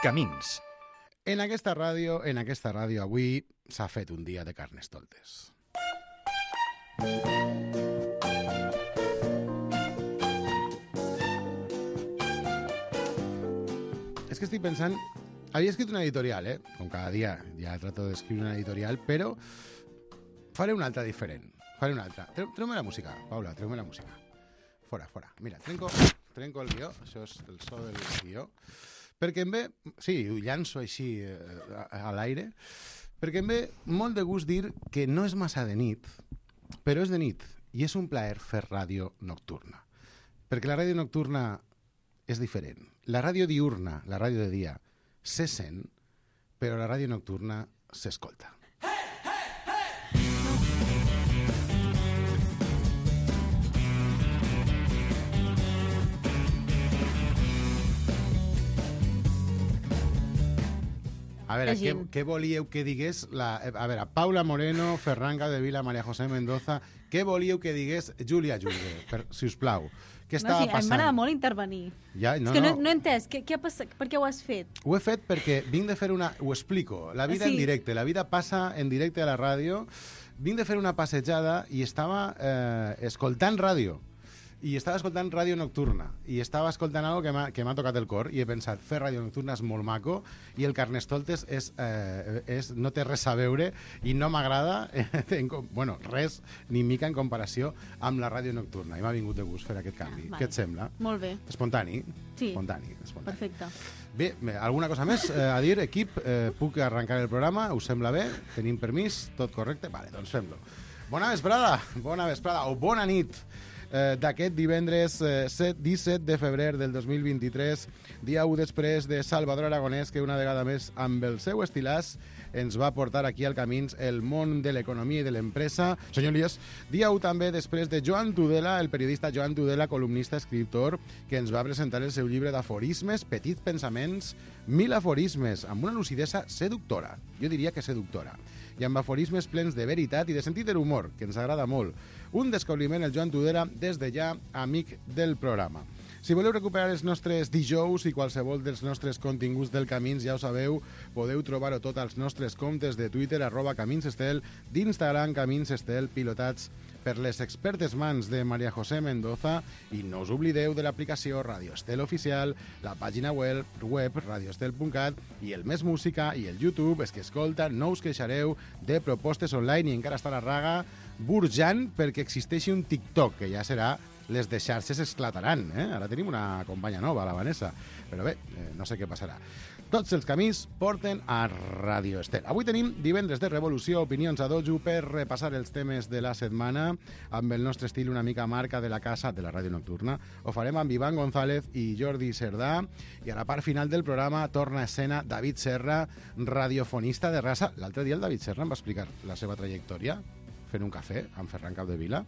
Camins. En aquesta ràdio avui s'ha fet un dia de Carnestoltes. És que estic pensant... Havia escrit una editorial, com cada dia ja trato d'escriure una editorial, però faré una altra diferent. Faré una altra. Treu-me la música, Paula, treu-me la música. Fora. Mira, trenco el guió, això és el so del guió, perquè em ve... Sí, ho llanço així a l'aire, perquè em ve molt de gust dir que no és massa de nit, però és de nit, i és un plaer fer ràdio nocturna. Perquè la ràdio nocturna és diferent. La ràdio diurna, la ràdio de dia, se sent, però la ràdio nocturna s'escolta. A veure, què volíeu que digués a veure, Paula Moreno, Ferran Capdevila, María José Mendoza, què volíeu que digués Júlia Julve, si us plau? Què estava passant? Em m'agrada molt intervenir. Ja, és que no he entès, què ha passat? Per què ho has fet? Ho he fet perquè vinc de fer una... Ho explico, la vida en directe, la vida passa en directe a la ràdio. Vinc de fer una passejada i estava escoltant ràdio. I estava escoltant ràdio nocturna i estava escoltant algo que m'ha tocat el cor i he pensat, fer ràdio nocturna és molt maco i el Carnestoltes no té res a veure i no m'agrada res ni mica en comparació amb la ràdio nocturna i m'ha vingut de gust fer aquest canvi. Què et sembla? Molt bé. Espontani? Sí. Espontani. Perfecte. Bé, alguna cosa més a dir, equip? Puc arrencar el programa? Us sembla bé? Tenim permís? Tot correcte? Vale, doncs fem-lo. Bona vesprada o bona nit d'aquest divendres 17 de febrer del 2023, dia 1 després de Salvador Aragonès, que una vegada més amb el seu estilàs ens va portar aquí al Camins el món de l'economia i de l'empresa. Senyor Elias, dia 1 també després de Joan Tudela, el periodista Joan Tudela, columnista, escriptor, que ens va presentar el seu llibre d'aforismes, Petits pensaments, 1000 aforismes, amb una lucidesa seductora, jo diria que seductora, i amb aforismes plens de veritat i de sentit de l'humor, que ens agrada molt. Un descobriment, el Joan Tudela, des de ja amic del programa. Si voleu recuperar els nostres dijous i qualsevol dels nostres continguts del Camins, ja ho sabeu, podeu trobar-ho tot als nostres comptes de Twitter, @CaminsEstel, d'Instagram, CaminsEstel, pilotats per les expertes mans de María José Mendoza, i no us oblideu de l'aplicació Radio Estel Oficial, la pàgina web radioestel.cat i el Més Música i el YouTube. És que, escolta, no us queixareu de propostes online i encara està la raga burjant perquè existeixi un TikTok, que ja serà les de xarxes esclataran, Ara tenim una companya nova, la Vanessa, però bé, no sé què passarà. Tots els camins porten a Radio Estel. Avui tenim divendres de revolució, opinions a dojo per repassar els temes de la setmana amb el nostre estil una mica marca de la casa de la ràdio nocturna. Ho farem amb Iván González i Jordi Cerdà, i a la part final del programa torna a escena David Serra, radiofonista de raça. L'altre dia el David Serra em va explicar la seva trajectòria fent un cafè amb Ferran Capdevila.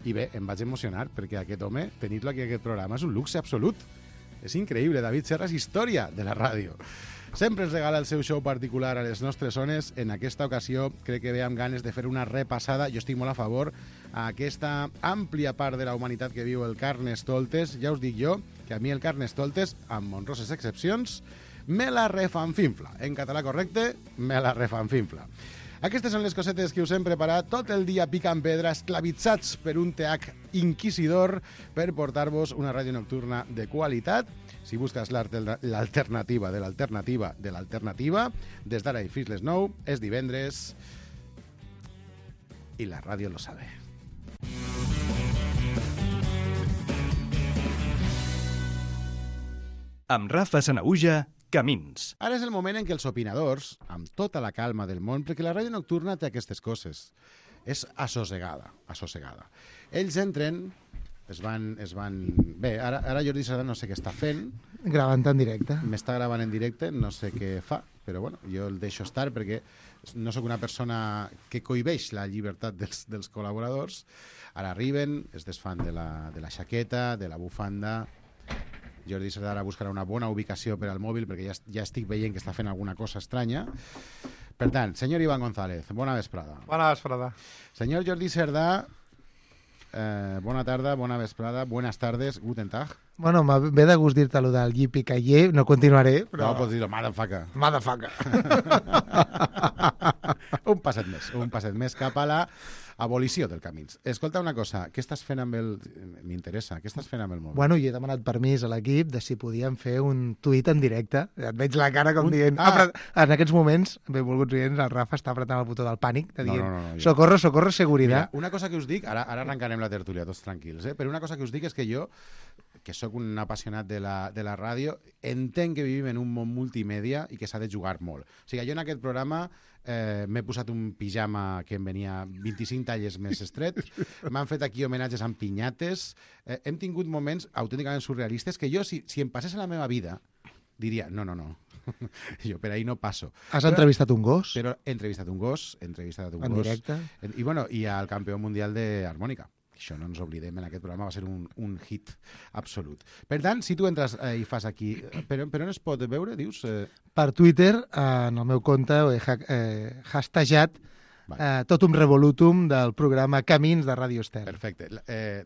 I bé, em vaig emocionar perquè aquest home, tenir-lo aquí a aquest programa, és un luxe absolut. És increïble, David Serra és història de la ràdio. Sempre ens regala el seu show particular a les nostres zones. En aquesta ocasió crec que ve amb ganes de fer una repassada, jo estic molt a favor, a aquesta àmplia part de la humanitat que viu el Carnestoltes. Ja us dic jo que a mi el Carnestoltes, amb honroses excepcions, me la refanfinfla. En català correcte, me la refanfinfla. Aquestes són les cosetes que us hem preparat tot el dia picant pedra, esclavitzats per un TH inquisidor, per portar-vos una ràdio nocturna de qualitat. Si busques l'alternativa de l'alternativa de l'alternativa, des d'ara i fins les 9, és divendres i la ràdio lo sabe. Amb Rafa Sanahuja, Camins. Ara és el moment en què els opinadors, amb tota la calma del món, perquè la ràdio nocturna té aquestes coses, és assossegada. Ells entren, es van... Bé, ara Jordi Serra no sé què està fent. Gravant en directe. M'està gravant en directe, no sé què fa, però bueno, jo el deixo estar perquè no sóc una persona que cohibeix la llibertat dels col·laboradors. Ara arriben, es desfan de la xaqueta, de la bufanda. Jordi Serra ara buscarà una bona ubicació per al mòbil perquè ja estic veient que està fent alguna cosa estranya. Per tant, senyor Iván González, bona vesprada. Bona vesprada. Senyor Jordi Cerdà, Bona tarda, bona vesprada, buenas tardes, guten tag. Bueno, ve de gust dir-te allò del yippee-ki-yay, no continuaré, però... No, pots dir-ho, motherfucker. Motherfucker. Un passet més cap a la abolició del camins. Escolta una cosa, què estàs fent amb el... M'interessa, què estàs fent amb el mòbil? Bueno, jo he demanat permís a l'equip de si podíem fer un tuit en directe. Et veig la cara com dient... En aquests moments, benvolguts oients, el Rafa està apretant el botó del pànic, de dient, socorro, socorro, seguridad. Mira, una cosa que us dic, ara arrencarem la tertúlia, tots tranquils, però una cosa que us dic és que jo, que sóc un apassionat de la ràdio, entenc que vivim en un món multimèdia i que s'ha de jugar molt. O sigui, jo en aquest programa m'he posat un pijama que em venia 25 talles més estret, m'han fet aquí homenatges amb pinyates, hem tingut moments autènticament surrealistes que jo, si em passés a la meva vida, diria, no, jo per ahí no passo. Has entrevistat un gos? Però he entrevistat un gos. En directe? I al campió mundial d'harmònica. Això no ens oblidem, en aquest programa va ser un hit absolut. Per tant, si tu entres i fas aquí... Per on es pot veure, dius? Per Twitter, en el meu compte, he hashtagat totum revolutum del programa Camins de Ràdio Estel. Perfecte.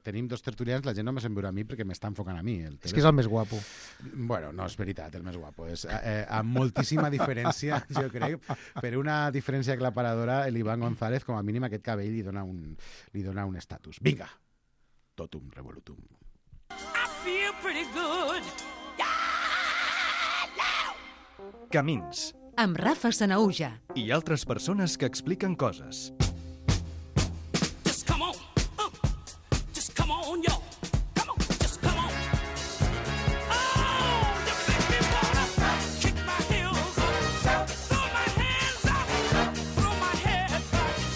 Tenim dos tertulians, la gent no me se'n veurà a mi perquè m'està enfocant a mi. És que és el més guapo. Bueno, no és veritat, el més guapo. És amb moltíssima diferència, jo crec. Per una diferència aclaparadora, l'Ivan González, com a mínim, aquest cabell li dona un estatus. Vinga! Totum revolutum. I feel pretty good. Camins. Amb Rafa Sanaüja. I altres persones que expliquen coses. Just come on. Just come on, yo. Come on, just come on. Oh, you make me wanna kick my heels up, throw my hands up, throw my head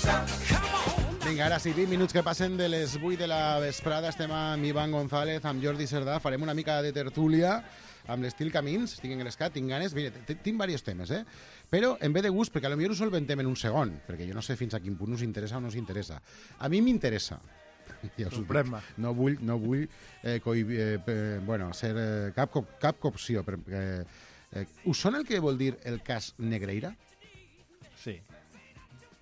back. Come on. Vinga, ara sí, 20 minuts que passen de les 8 de la vesprada. Estem amb Ivan González, amb Jordi Cerdà. Farem una mica de tertúlia amb l'estil Camins, estic engrescat, tinc ganes, mira, tinc diversos temes, però en ve de gust, perquè potser ho solventem en un segon, perquè jo no sé fins a quin punt us interessa o no us interessa. A mi m'interessa. Ja no vull ser cap copció. Us sona el que vol dir el cas Negreira? Sí.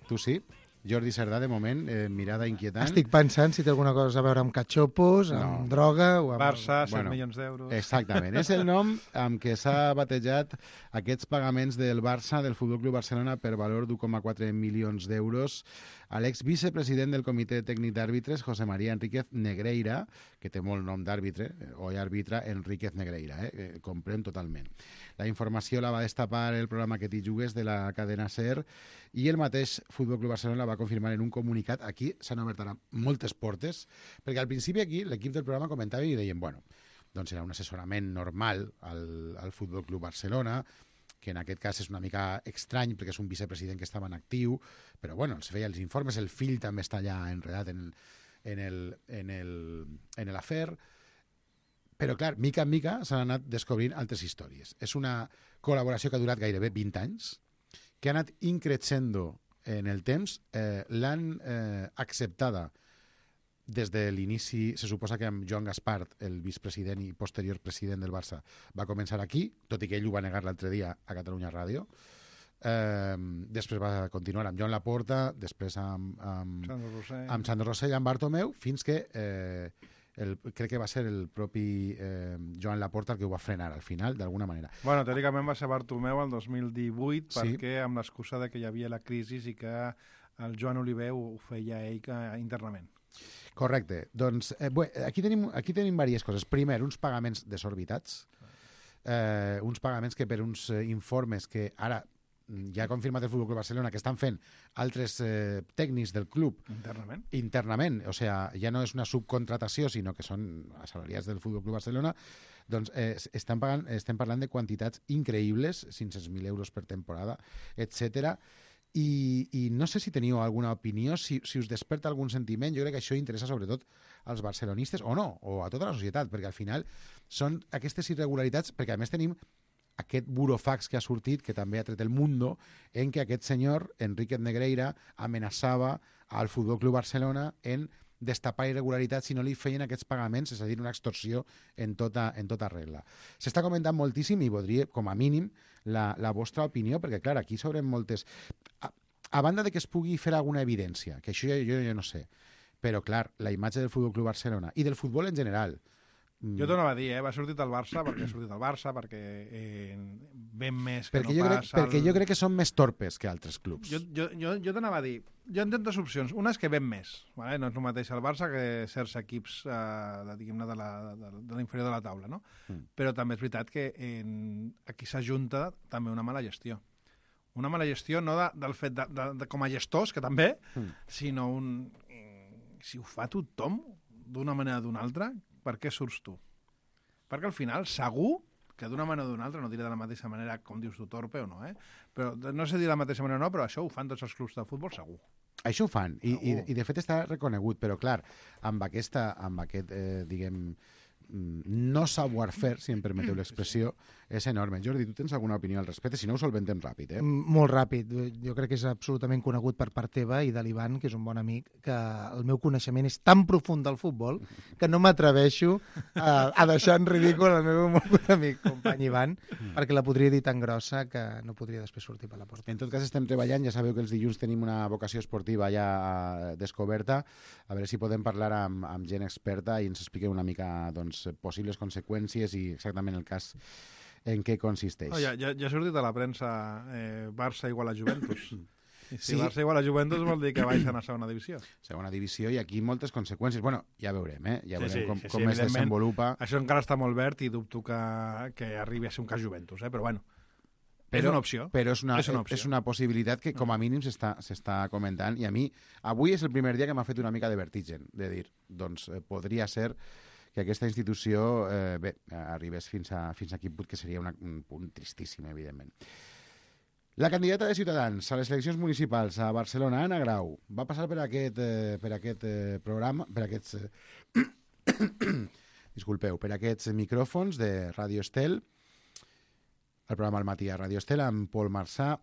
Tu sí? Jordi Cerdà, de moment, mirada inquietant. Estic pensant si té alguna cosa a veure amb catxopos, amb droga... o amb... Barça, 100 milions d'euros... Exactament. És el nom amb què s'ha batejat aquests pagaments del Barça, del Futbol Club Barcelona, per valor d'1,4 milions d'euros a l'exvicepresident del Comitè Tècnic d'Àrbitres, José María Enríquez Negreira, que té molt nom d'àrbitre, o àrbitre Enríquez Negreira, comprem totalment. La informació la va destapar el programa Que t'hi jugues de la cadena SER i el mateix Futbol Club Barcelona la va confirmar en un comunicat. Aquí s'han obert ara moltes portes, perquè al principi aquí l'equip del programa comentava i deien, bueno, doncs era un assessorament normal al Futbol Club Barcelona, que en aquest cas és una mica estrany perquè és un vicepresident que estava en actiu, però bueno, els feia els informes, el fill també està allà enredat en l'afer. Però, clar, mica en mica s'han anat descobrint altres històries. És una col·laboració que ha durat gairebé 20 anys, que ha anat increixendo en el temps. L'han acceptada des de l'inici. Se suposa que amb Joan Gaspart, el vicepresident i posterior president del Barça, va començar aquí, tot i que ell ho va negar l'altre dia a Catalunya Ràdio. Després va continuar amb Joan Laporta, després amb Sandro Rossell, amb Bartomeu, fins que... crec que va ser el propi Joan Laporta el que ho va frenar al final, d'alguna manera. Bueno, teòricament va ser Bartomeu el 2018, sí, perquè amb l'excusa de que hi havia la crisi i que el Joan Oliver ho feia ell internament. Correcte. Doncs aquí tenim diverses coses. Primer, uns pagaments desorbitats, uns pagaments que per uns informes que ara ja ha confirmat el Futbol Club Barcelona que estan fent altres tècnics del club internament, o sigui, ja no és una subcontratació, sinó que són assalariats del Futbol Club Barcelona, doncs estem parlant de quantitats increïbles, 500.000 euros per temporada, etc. I no sé si teniu alguna opinió, si us desperta algun sentiment. Jo crec que això interessa sobretot als barcelonistes, o no, o a tota la societat, perquè al final són aquestes irregularitats, perquè a més tenim aquest burofax que ha sortit, que també ha tret el Mundo, en què aquest senyor, Enríquez Negreira, amenaçava al Futbol Club Barcelona en destapar irregularitats si no li feien aquests pagaments, és a dir, una extorsió en tota regla. S'està comentant moltíssim i voldria, com a mínim, la vostra opinió, perquè, clar, aquí s'obren moltes... A banda de que es pugui fer alguna evidència, que això jo no sé, Però, clar, la imatge del Futbol Club Barcelona i del futbol en general... Jo t'ho anava a dir, va sortir del Barça perquè ha sortit del Barça, perquè ven més que Perquè no pas... perquè jo crec que són més torpes que altres clubs. Jo t'anava a dir, jo entenc dues opcions. Una és que ven més, vale? No és el mateix el Barça que certs equips diguem-ne de l'inferior de la taula, no? Però també és veritat que aquí s'ajunta també una mala gestió. Una mala gestió no del fet de com a gestors, que també, sinó si ho fa tothom d'una manera o d'una altra, per què surts tu? Perquè al final, segur que d'una manera o d'una altra, no diré de la mateixa manera com dius tu, torpe o no, però no sé dir de la mateixa manera o no, però això ho fan tots els clubs de futbol segur. Això ho fan, i de fet està reconegut, però clar, amb aquest, diguem, no savoir-faire, si em permeteu l'expressió, és enorme. Jordi, tu tens alguna opinió al respecte? Si no, ho solventem ràpid, Molt ràpid. Jo crec que és absolutament conegut per part teva i de l'Ivan, que és un bon amic, que el meu coneixement és tan profund del futbol que no m'atreveixo a deixar en ridícul el meu molt bon amic, company Ivan, perquè la podria dir tan grossa que no podria després sortir per la porta. En tot cas, estem treballant, ja sabeu que els dilluns tenim una vocació esportiva ja descoberta, a veure si podem parlar amb gent experta i ens expliqueu una mica doncs, possibles conseqüències i exactament el cas en què consisteix. Ja ha sortit a la premsa Barça igual a Juventus. I si Sí. Barça igual a Juventus vol dir que baixen a segona divisió. Segona divisió i aquí moltes conseqüències. Bueno, ja veurem, Ja veurem com es evidentment. desenvolupa. Això encara està molt verd i dubto que arribi a ser un cas Juventus, però bueno, és una opció. Però és una opció. és una possibilitat que com a mínim s'està comentant i a mi, avui és el primer dia que m'ha fet una mica de vertigen, de dir, doncs podria ser que aquesta institució arribés fins a quin punt, que seria un punt tristíssim, evidentment. La candidata de Ciutadans a les eleccions municipals a Barcelona, Anna Grau, va passar per aquest programa, per aquests... disculpeu, per aquests micròfons de Ràdio Estel, el programa al matí a Ràdio Estel, amb Pol Marçà,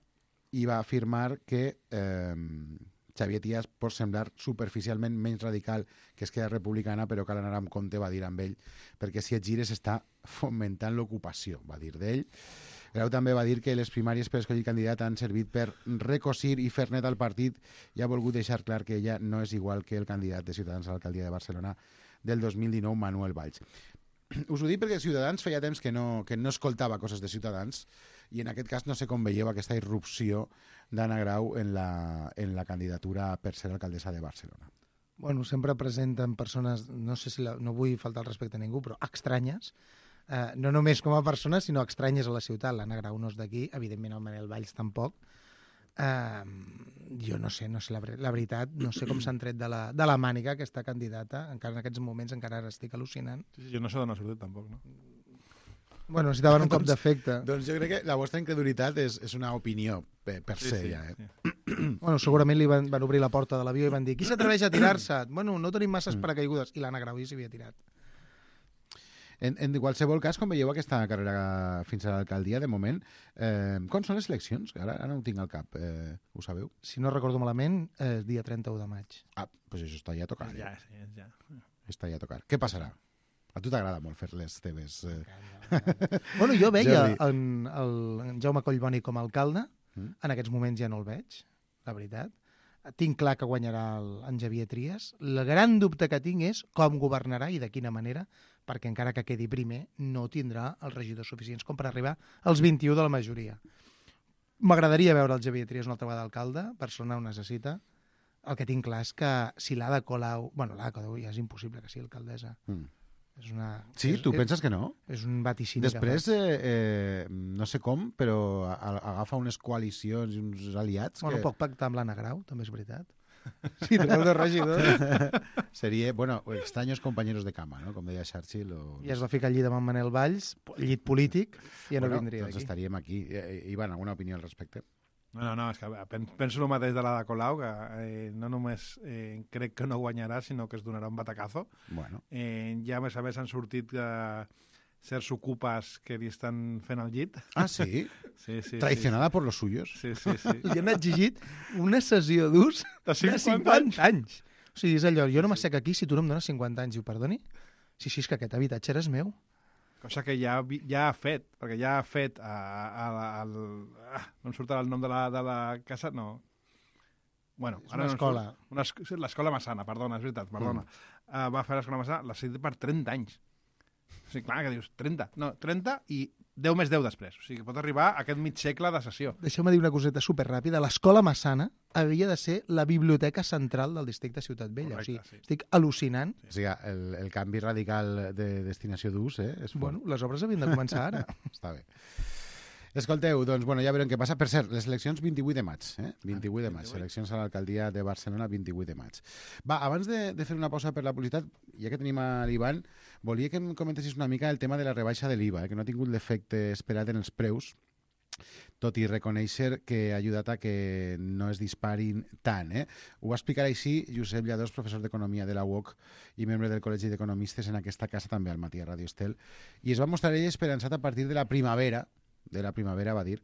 i va afirmar que Xavier Trias pot semblar superficialment menys radical que Esquerra Republicana, però cal anar amb compte, va dir amb ell, perquè si et gires està fomentant l'ocupació, va dir d'ell. Grau també va dir que les primàries per escollir candidat han servit per recosir i fer net al partit i ha volgut deixar clar que ella no és igual que el candidat de Ciutadans a l'alcaldia de Barcelona del 2019, Manuel Valls. Us ho dic perquè Ciutadans feia temps que no escoltava coses de Ciutadans i en aquest cas no sé com veieu aquesta irrupció d'Anna Grau en la candidatura per ser alcaldessa de Barcelona. Bueno, sempre presenten persones, no sé si no vull faltar el respecte a ningú, però estranyes, no només com a persones, sinó estranyes a la ciutat. L'Anna Grau no és d'aquí, evidentment el Manel Valls tampoc. Jo no sé la veritat, no sé com s'han tret de la màniga aquesta candidata, encara en aquests moments encara estic al·lucinant. Sí, jo no sé d'on ha sortit tampoc, no? Bueno, necessitaven un cop d'efecte. Doncs jo crec que la vostra incredulitat és una opinió per se, ja. Bueno, segurament li van obrir la porta de l'avió i van dir qui s'atreveix a tirar-se? Bueno, no tenim masses paracaigudes. I l'Anna Grau ja s'havia tirat. En qualsevol cas, com veieu aquesta carrera fins a l'alcaldia, de moment, com són les eleccions? Ara no ho tinc al cap, ho sabeu? Si no recordo malament, és dia 31 de maig. Ah, doncs això està ja a tocar. Ja, sí, ja. Està ja a tocar. Què passarà? A tu t'agrada molt fer les teves... Bueno, jo veia en Jaume Collboni com a alcalde, en aquests moments ja no el veig, la veritat. Tinc clar que guanyarà en Xavier Trias. El gran dubte que tinc és com governarà i de quina manera, perquè encara que quedi primer, no tindrà els regidors suficients com per arribar als 21 de la majoria. M'agradaria veure el Xavier Trias una altra vegada d'alcalde, Barcelona ho necessita. El que tinc clar és que si l'Ada Colau... Bueno, l'Ada Colau ja és impossible que sigui alcaldessa. És una... Sí? Tu penses que no? És un vaticini. Després, no sé com, però agafa unes coalicions i uns aliats Bueno, que... poc pactar amb l'Anna Grau, també és veritat. Sí, treu de regidor. Seria, bueno, extraños compañeros de cama, no? Com deia Churchill. I es va ficar al llit amb en Manel Valls, llit polític, i ja no vindria doncs d'aquí. estaríem aquí. Ivan, alguna opinió al respecte? No, és que penso el mateix de l'Ada Colau, que no només crec que no guanyarà, sinó que es donarà un batacazo. Bueno. Ja a més a més han sortit certs ocupes que li estan fent el llit. Ah, sí? Sí. Traicionada por los suyos? Sí. Li han exigit una sessió d'ús de 50 anys. O sigui, és allò, jo no m'assec aquí si tu no em dones 50 anys. Diu, perdoni? Sí, és que aquest habitatge era meu. Cosa que ja ha fet, perquè ja ha fet no em surt el nom de la casa, no. Bueno, És una escola. L'escola Massana, perdona, és veritat, perdona. Va fer l'escola Massana, l'ha cedit per 30 anys. O sigui, clar, que dius 30. No, 30 i 10 més 10 després. O sigui, que pot arribar a aquest mig segle de sessió. Deixeu-me dir una coseta superràpida. L'escola Massana havia de ser la biblioteca central del districte de Ciutat Vella. Correcte, O sigui, sí. estic al·lucinant. O sigui, el canvi radical de destinació d'ús, és fort. Bueno, les obres havien de començar ara. Està bé. Escolteu, doncs, bueno, ja veurem què passa. Per cert, les eleccions 28 de maig, 28 de maig. Eleccions a l'alcaldia de Barcelona 28 de maig. Va, abans de fer una pausa per la publicitat, ja que tenim a l'Ivan, volia que em comentessis una mica el tema de la rebaixa de l'IVA, que no ha tingut l'efecte esperat en els preus, tot i reconèixer que ha ajudat a que no es disparin tant. Ho va explicar així Josep Lladós, professor d'Economia de la UOC i membre del Col·legi d'Economistes en aquesta casa, també al matí a Radio Estel, i es va mostrar ell esperançat a partir de la primavera, va dir,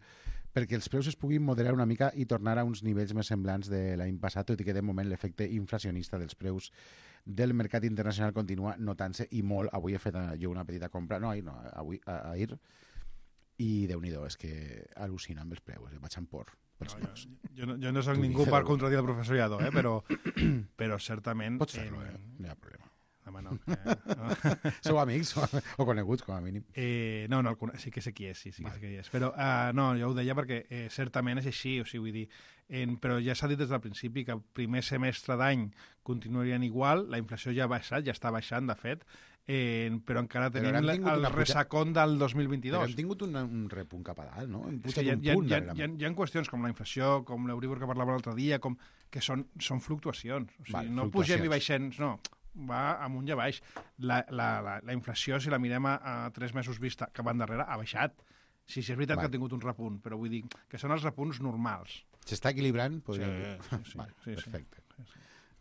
perquè els preus es puguin moderar una mica i tornar a uns nivells més semblants de l'any passat, tot i que de moment l'efecte inflacionista dels preus del mercat internacional continua notant-se i molt. Avui he fet jo una petita compra, ahir, i Déu-n'hi-do, és que al·lucina amb els preus, vaig amb por. Jo no soc ningú per contradir el professor Lladó, però certament... Pots fer-lo, no hi ha problema. Home, no. Sou amics o coneguts, com a mínim? No, sí que sé qui és, sí que sé qui és. Però no, jo ho deia perquè certament és així, o sigui, vull dir, però ja s'ha dit des del principi que el primer semestre d'any continuarien igual, la inflació ja ha baixat, ja està baixant, de fet, però encara tenim el ressacón del 2022. Però hem tingut un repunt cap a dalt, no? Hem pujat un punt, hi ha qüestions com la inflació, com l'Euríbor que parlàvem l'altre dia, que són fluctuacions. O sigui, no pugem i baixem, no, va amunt i a baix. La inflació, si la mirem a 3 mesos vista cap endarrere, ha baixat. Sí, és veritat que ha tingut un repunt, però vull dir que són els repunts normals. S'està equilibrant? Podríem dir. Sí. Perfecte.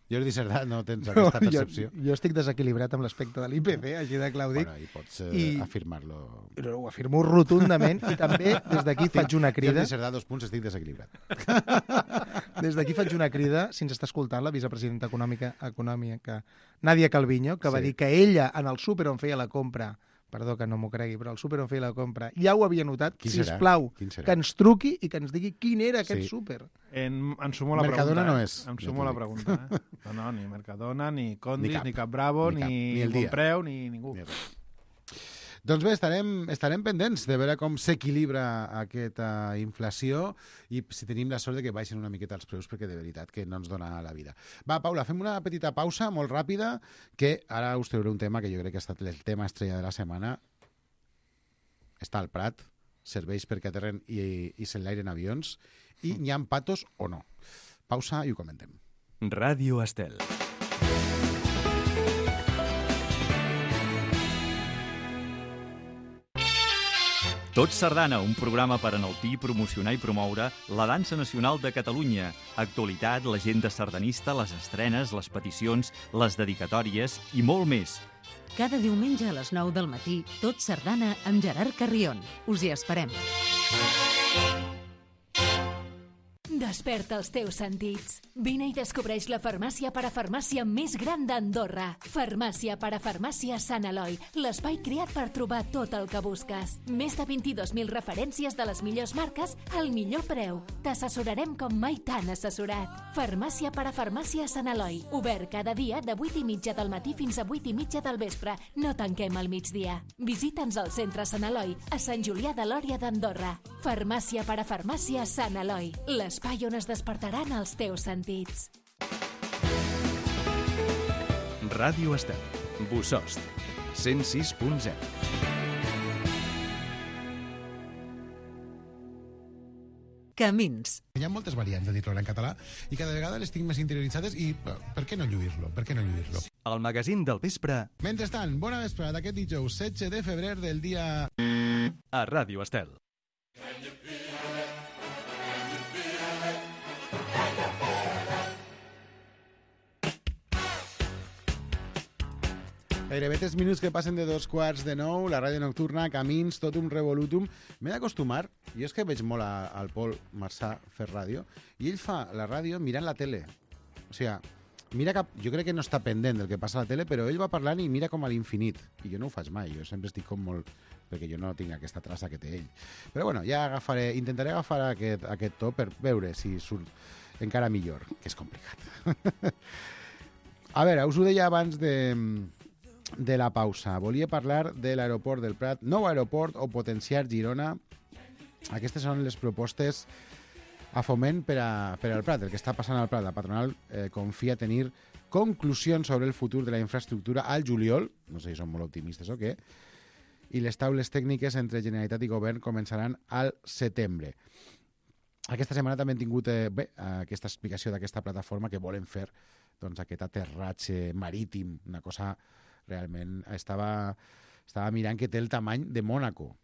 Jordi Cerdà, no tens aquesta percepció? Jo estic desequilibrat amb l'aspecte de l'IPC, així de clar ho dic. Bueno, i pots afirmar-lo. Ho afirmo rotundament i també des d'aquí faig una crida. Jordi Cerdà, 2 punts, estic desequilibrat. Des d'aquí faig una crida, si ens està escoltant la vicepresidenta econòmica Nadia Calviño, que va dir que ella en el súper on feia la compra, perdó que no m'ho cregui, però el súper on feia la compra ja ho havia notat, sisplau, que ens truqui i que ens digui quin era aquest súper. Em sumo la Mercadona pregunta. No és. Em sumo la pregunta. No, ni Mercadona, ni Condis, ni Cap Bravo, ni Bonpreu, ni ningú. Doncs bé, estarem pendents de veure com s'equilibra aquesta inflació i si tenim la sort de que baixen una miqueta els preus, perquè de veritat que no ens dona la vida. Va, Paula, fem una petita pausa molt ràpida, que ara us trauré un tema que jo crec que ha estat el tema estrella de la setmana. Està al Prat, serveix perquè aterren i s'enlairen avions, i n'hi ha patos o no. Pausa i ho comentem. Ràdio Estel. Tot Sardana, un programa per enaltir, promocionar i promoure la dansa nacional de Catalunya. Actualitat, l'agenda sardanista, les estrenes, les peticions, les dedicatòries i molt més. Cada diumenge a les 9 del matí, Tot Sardana amb Gerard Carrion. Us hi esperem. Desperta els teus sentits. Vine i descobreix la farmàcia parafarmàcia més gran d'Andorra. Farmàcia parafarmàcia Sant Eloi, l'espai creat per trobar tot el que busques. Més de 22.000 referències de les millors marques al millor preu. T'assessorarem com mai t'han assessorat. Farmàcia parafarmàcia Sant Eloi, obert cada dia de 8:30 del matí fins a 8:30 del vespre. No tanquem al migdia. Visita'ns al centre Sant Eloi, a Sant Julià de Lòria d'Andorra. Farmàcia parafarmàcia Sant Eloi, l'espai on es despertaran els teus sentits. Ràdio Estel. Bossòst. 106.0. Camins. Hi ha moltes variants de dir-lo en català i cada vegada les tinc més interioritzades i per què no lluir-lo? Per què no lluir-lo? El magazín del vespre Mentrestant, bona vesprada d'aquest dijous 16 de febrer del dia... a Ràdio Estel. Gairebé 3 minuts que passen de 8:45, la ràdio nocturna, Camins, tot un revolutum. M'he d'acostumar, jo és que veig molt al Pol Marçà fer ràdio, i ell fa la ràdio mirant la tele. O sigui, mira cap, jo crec que no està pendent del que passa a la tele, però ell va parlant i mira com a l'infinit. I jo no ho faig mai, jo sempre estic com molt... perquè jo no tinc aquesta traça que té ell. Però bueno, ja intentaré agafar aquest to per veure si surt. encara millor, que és complicat. A veure, us ho deia abans de la pausa. Volia parlar de l'aeroport del Prat, nou aeroport o potenciar Girona. Aquestes són les propostes a Foment per al Prat, el que està passant al Prat. La patronal confia tenir conclusions sobre el futur de la infraestructura al juliol, no sé si són molt optimistes o què, i les taules tècniques entre Generalitat i Govern començaran al setembre. Aquesta setmana també hem tingut aquesta explicació d'aquesta plataforma que volen fer doncs, aquest aterratge marítim, una cosa realment... Estava mirant que té el tamany de Mònaco,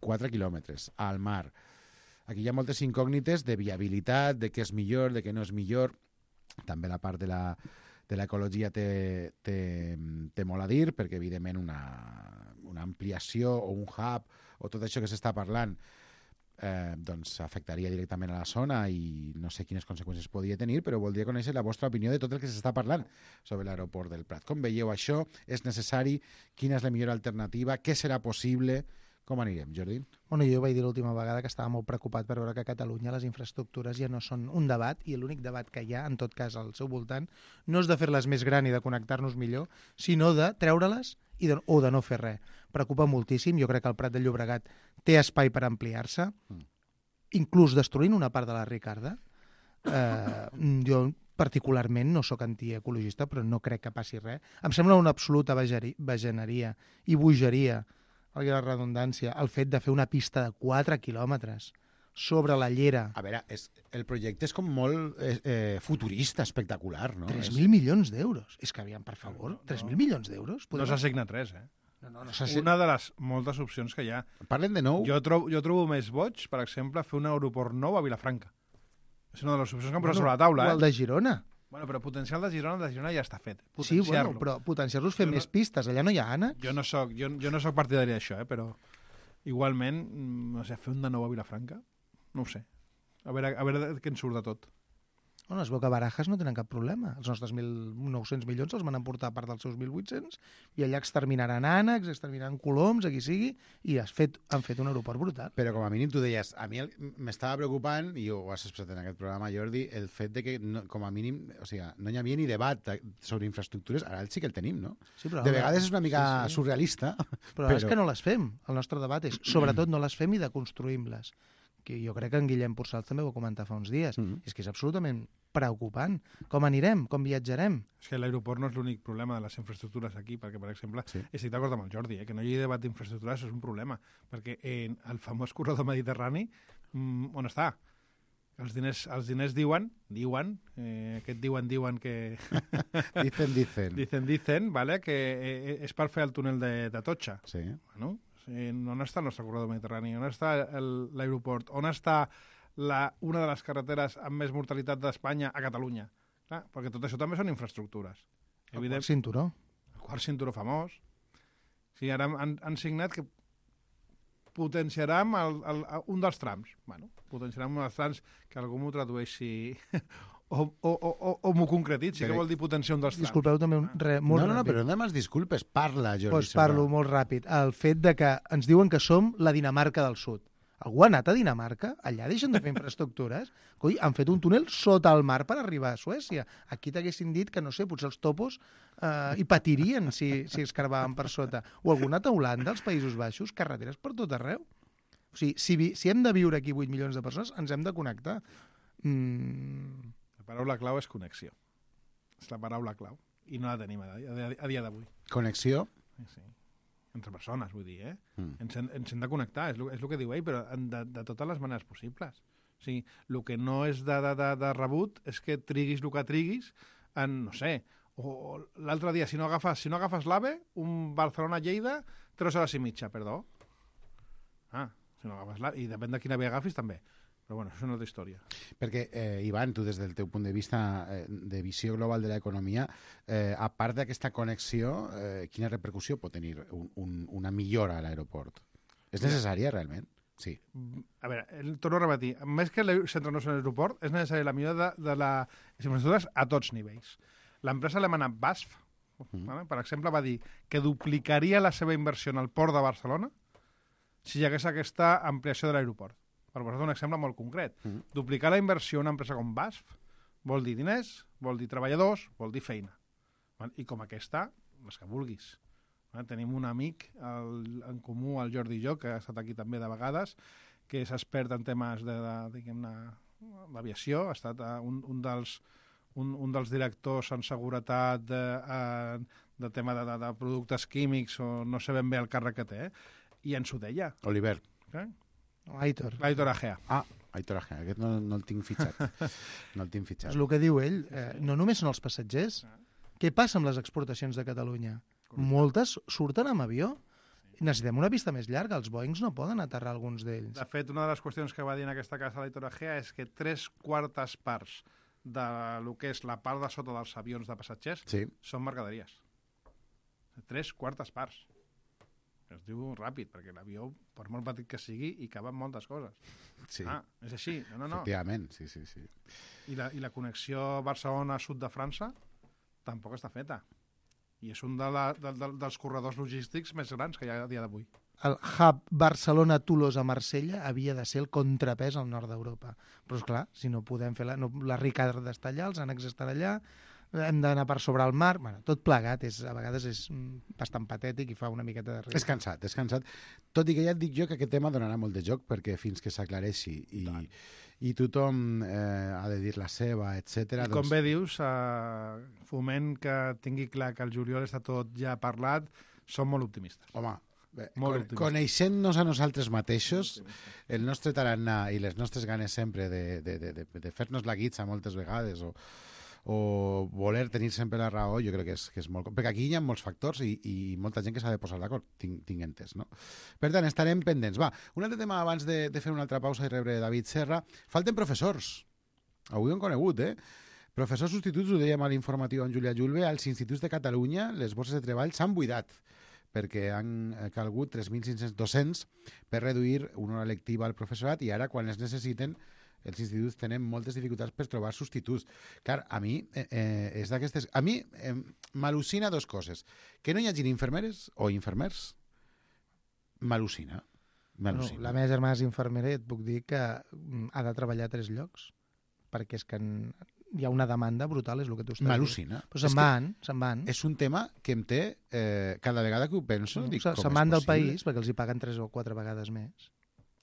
4 quilòmetres al mar. Aquí hi ha moltes incògnites de viabilitat, de què és millor, de què no és millor. També la part de l'ecologia té molt a dir, perquè evidentment una ampliació o un hub o tot això que s'està parlant doncs afectaria directament a la zona i no sé quines conseqüències podria tenir, però voldria conèixer la vostra opinió de tot el que s'està parlant sobre l'aeroport del Prat. Com veieu això? És necessari? Quina és la millor alternativa? Què serà possible? Com anirem, Jordi? Bueno, jo vaig dir l'última vegada que estava molt preocupat per veure que a Catalunya les infraestructures ja no són un debat, i l'únic debat que hi ha, en tot cas, al seu voltant, no és de fer-les més gran i de connectar-nos millor, sinó de treure-les o de no fer res. Preocupa moltíssim. Jo crec que el Prat de Llobregat té espai per ampliar-se, inclús destruint una part de la Ricarda. Jo particularment no sóc antiecologista, però no crec que passi res. Em sembla una absoluta bajaneria i bogeria, valgui la redundància, el fet de fer una pista de 4 quilòmetres sobre la llera. A veure, el projecte és com molt futurista, espectacular, no? 3.000 milions d'euros. És que, aviam, per favor, 3.000 milions d'euros? No s'ha signat res, No Una de les moltes opcions que hi ha. Parlen de nou? Jo trobo més boig, per exemple, fer un aeroport nou a Vilafranca. És una de les opcions que han posat sobre la taula. O el de Girona. Bueno, però potencial de Girona ja està fet. Sí, bueno, però potenciar-los fent més pistes. Allà no hi ha ànecs. Jo no soc partidari d'això, però igualment, no sé, fer un de nou a Vilafranca, no ho sé. A veure què ens surt de tot. Bueno, es veu que Barajas no tenen cap problema. Els nostres 1.900 milions els van emportar a part dels seus 1.800 i allà exterminaran ànecs, exterminaran coloms, a qui sigui, i han fet un aeroport brutal. Però com a mínim tu deies, a mi m'estava preocupant, i ho has expressat en aquest programa, Jordi, el fet de que com a mínim, o sigui, no hi havia ni debat sobre infraestructures, ara sí que el tenim, no? Sí, però de vegades és una mica surrealista. Però és que no les fem. El nostre debat és, sobretot, no les fem i deconstruïm-les. Que jo crec que en Guillem Porçals també ho va comentar fa uns dies. És que és absolutament preocupant. Com anirem? Com viatjarem? És que l'aeroport no és l'únic problema de les infraestructures aquí, perquè, per exemple, estic d'acord amb el Jordi, que no hi hagi debat d'infraestructures és un problema, perquè en el famós corredor mediterrani, on està? Els diners diuen que... Dicen, vale, que és per fer el túnel de Totxa. Sí. Bueno, on està el nostre corredor mediterrani? On està l'aeroport? On està una de les carreteres amb més mortalitat d'Espanya a Catalunya? Clar, perquè tot això també són infraestructures. El quart cinturó. El quart cinturó famós. Sí, ara han signat que potenciarem un dels trams. Bueno, potenciarem un dels trams, que algú m'ho tradueixi o m'ho concretitzi, que vol dir potenciar un dels trams. Disculpeu també molt ràpid. No, però no demanes disculpes, parla, Jordi. Doncs parlo molt ràpid. El fet de que ens diuen que som la Dinamarca del Sud. Algú ha anat a Dinamarca? Allà deixen de fer infraestructures? Coi, han fet un túnel sota el mar per arribar a Suècia. Aquí t'haguessin dit que, no sé, potser els topos hi patirien si escarbaven per sota. O algú ha anat a Holanda, als Països Baixos, carreteres per tot arreu. O sigui, si hem de viure aquí 8 milions de persones, ens hem de connectar. La paraula clau és connexió. És la paraula clau. I no la tenim a dia d'avui. Connexió? Sí. Entre persones, vull dir, Ens hem de connectar, és el que diu ell, però de totes les maneres possibles. O sigui, el que no és de rebut és que triguis el que triguis en, no sé, o l'altre dia, si no agafes l'AVE, un Barcelona-Lleida, 3 hores i mitja, perdó. Si no agafes l'AVE, i depèn de quina AVE agafis, també. Però bueno, això és una altra història. Perquè, Ivan, tu des del teu punt de vista de visió global de l'economia, a part d'aquesta connexió, quina repercussió pot tenir una millora a l'aeroport? És necessària, realment? Sí. A veure, torno a repetir, més que centrar-nos en l'aeroport, és necessària la millora de les infraestructures a tots nivells. L'empresa alemana BASF, per exemple, va dir que duplicaria la seva inversió en el port de Barcelona si hi hagués aquesta ampliació de l'aeroport. Per posar un exemple molt concret. Duplicar la inversió en una empresa com BASF vol dir diners, vol dir treballadors, vol dir feina. I com aquesta, les que vulguis. Tenim un amic en comú, el Jordi Jo, que ha estat aquí també de vegades, que és expert en temes d'aviació, ha estat un dels directors en seguretat de tema de productes químics, o no sé ben bé el càrrec que té, i ens ho deia. Oliver. Aitor. Aitor Agea. Aitor Agea, aquest no el tinc fitxat. No el tinc fitxat. És el que diu ell. No només són els passatgers. Què passa amb les exportacions de Catalunya? Moltes surten amb avió. Necessitem una pista més llarga. Els Boeings no poden aterrar alguns d'ells. De fet, una de les qüestions que va dir en aquesta casa l'Aitor Agea és que 3/4 parts de lo que és la part de sota dels avions de passatgers són mercaderies. 3/4 parts. Es diu ràpid, perquè l'avió, per molt petit que sigui, hi caben moltes coses. Sí. És així. No. Efectivament, sí. I la connexió Barcelona-Sud de França tampoc està feta. I és un dels corredors logístics més grans que hi ha a dia d'avui. El hub Barcelona-Tolosa-Marsella havia de ser el contrapès al nord d'Europa. Però, esclar, si no podem fer... Les Ricardes està allà, els ànecs estan allà, hem d'anar per sobre el mar... Bueno, tot plegat, a vegades és bastant patètic i fa una miqueta de riure. És cansat. Tot i que ja et dic jo que aquest tema donarà molt de joc, perquè fins que s'aclareixi i tothom ha de dir la seva, etc. I com bé dius, Foment, que tingui clar que el juliol està tot ja parlat, som molt optimistes. Home, coneixent-nos a nosaltres mateixos, el nostre tarannà i les nostres ganes sempre de fer-nos la guitza moltes vegades o voler tenir sempre la raó, jo crec que és molt... Perquè aquí hi ha molts factors i molta gent que s'ha de posar d'acord, tinc entès, no? Per tant, estarem pendents. Va, un altre tema abans de fer una altra pausa i rebre David Serra. Falten professors. Avui ho hem conegut, Professors substituts, ho dèiem a l'informatiu amb Júlia Julve, als instituts de Catalunya les borses de treball s'han buidat perquè han calgut 3.500 docents per reduir una hora lectiva al professorat i ara, quan les necessiten, els instituts tenen moltes dificultats per trobar substituts. Clar, a mi és d'aquestes... A mi m'al·lucina dues coses. Que no hi hagin infermeres o infermers, m'al·lucina. Bueno, la meva germana és infermera i et puc dir que ha de treballar a 3 llocs, perquè és que hi ha una demanda brutal, és el que tu estàs dient. M'al·lucina. Però se'n van. És un tema que em té... cada vegada que ho penso, dic, com és possible? Se'n van del país perquè els hi paguen 3 o 4 vegades més.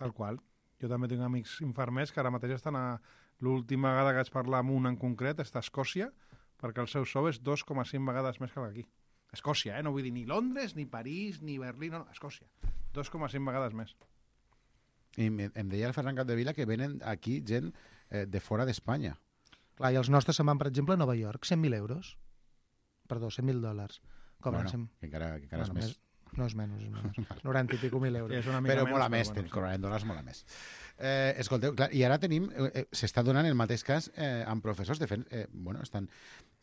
Tal qual. Jo també tinc amics infermers que ara mateix estan l'última vegada que vaig parlar amb un en concret està a Escòcia, perquè el seu sou és 2,5 vegades més que d'aquí. Escòcia, no vull dir ni Londres, ni París, ni Berlín, no, Escòcia. 2,5 vegades més. I em deia el Ferran Capdevila que venen aquí gent de fora d'Espanya. Clar, i els nostres se'n van, per exemple, a Nova York, 100.000 euros. Perdó, 100.000 dòlars. Bueno, que encara és més. No és menys, 90 i pico mil euros. Però molt a més, cobraran dòlars molt a més. Escolteu, clar, i ara tenim, s'està donant el mateix cas amb professors. De fet,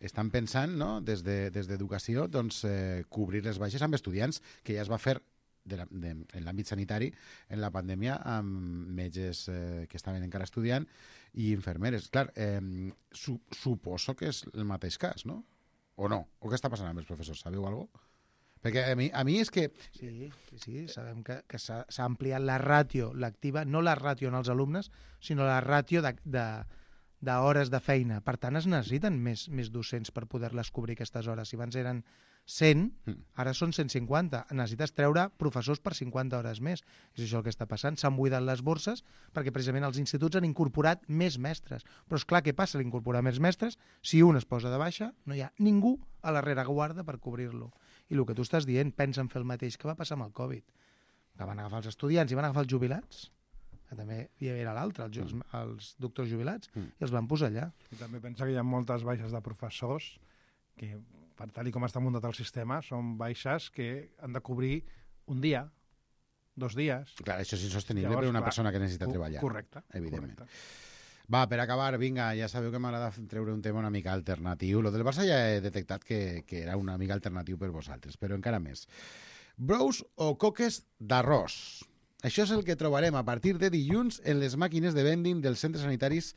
estan pensant, no, des d'educació, doncs, cobrir les baixes amb estudiants, que ja es va fer en l'àmbit sanitari en la pandèmia amb metges que estaven encara estudiant i infermeres. Clar, suposo que és el mateix cas, no? O no? O què està passant amb els professors? Sabeu alguna cosa? Perquè a mi és que... Sí, sabem que s'ha ampliat la ràtio lectiva, no la ràtio en els alumnes, sinó la ràtio d'hores de feina. Per tant, es necessiten més docents per poder-les cobrir aquestes hores. Si abans eren 100, ara són 150. Necessites treure professors per 50 hores més. És això el que està passant. S'han buidat les borses perquè precisament els instituts han incorporat més mestres. Però és clar, què passa a incorporar més mestres? Si un es posa de baixa, no hi ha ningú a la rereguarda per cobrir-lo. I el que tu estàs dient, pensen fer el mateix que va passar amb el Covid. Que van agafar els estudiants i van agafar els jubilats, que també hi era l'altre, els doctors jubilats, i els van posar allà. I també pensa que hi ha moltes baixes de professors que, per tal com està muntat el sistema, són baixes que han de cobrir un dia, 2 dies... Clar, això és insostenible per una persona que necessita treballar. Correcte. Evidentment. Correcte. Va, per acabar, vinga, ja sabeu que m'agrada treure un tema una mica alternatiu. Lo del Barça ja he detectat que era una mica alternatiu per vosaltres, però encara més. Brous o coques d'arròs. Això és el que trobarem a partir de dilluns en les màquines de vending dels centres sanitaris